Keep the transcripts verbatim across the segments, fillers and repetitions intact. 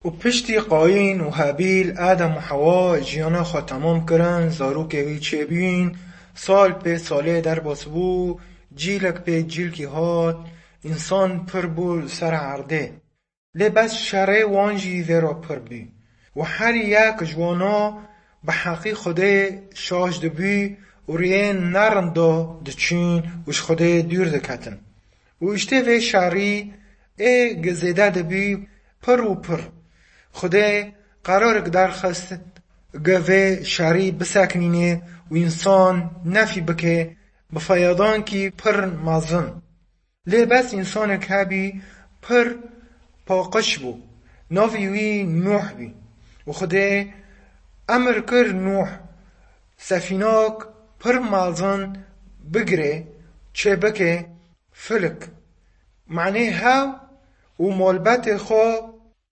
Û piştî Qayîn û Hebîl, Adem û Hewa jiyana xwe temam kirin, zarokê wî çêbûyîn, sal pê salê derbas bû, cîlek pê cîlkî hat, însan pir bû li ser erdê. Lê bes şerê wan jî vê re pir bû. Û her yek ji wana bi heqî Xwedê şaş dibû û rêyên nerind da diçûn û ji Xwedê dûr diketin. Û îştê vê şerî ê gi zêde dibû pir û pir. Xwedê qerarek derxist gi vê şerî bisekinîne û însan nefî bike bi feyadankî pir mezin. Lê bes însanek hebî pir paqij bû. Navê wî Nûh bî. Û Xwedê emir kir Nûh sefînak pir mezin bigire, çêbike filik. Manê hew û malbetê xwe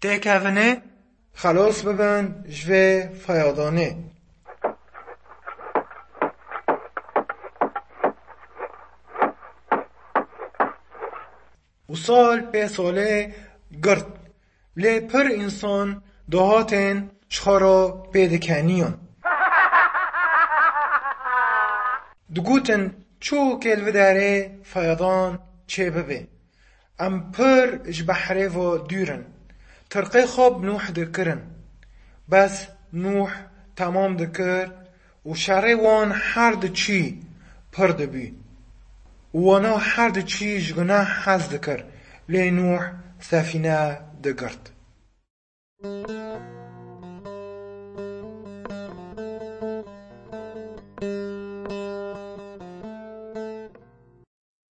têkevine, xelas bibin ji vê feyadanê. Û sal pê salê girt. Lê pir însan dahatên ji xwe re pê dikeniyan. Digotin, çû kêl vidarê feyadan çê bibe. Em pir ji behrê ve dûr in. Tirqê xwe bi Nûh dikirin. Bes Nûh temam dikir û şerê wan her diçî pir dibî. Û wana her diçî ji guneh hez dikir. Lê Nûh sefîne digirt.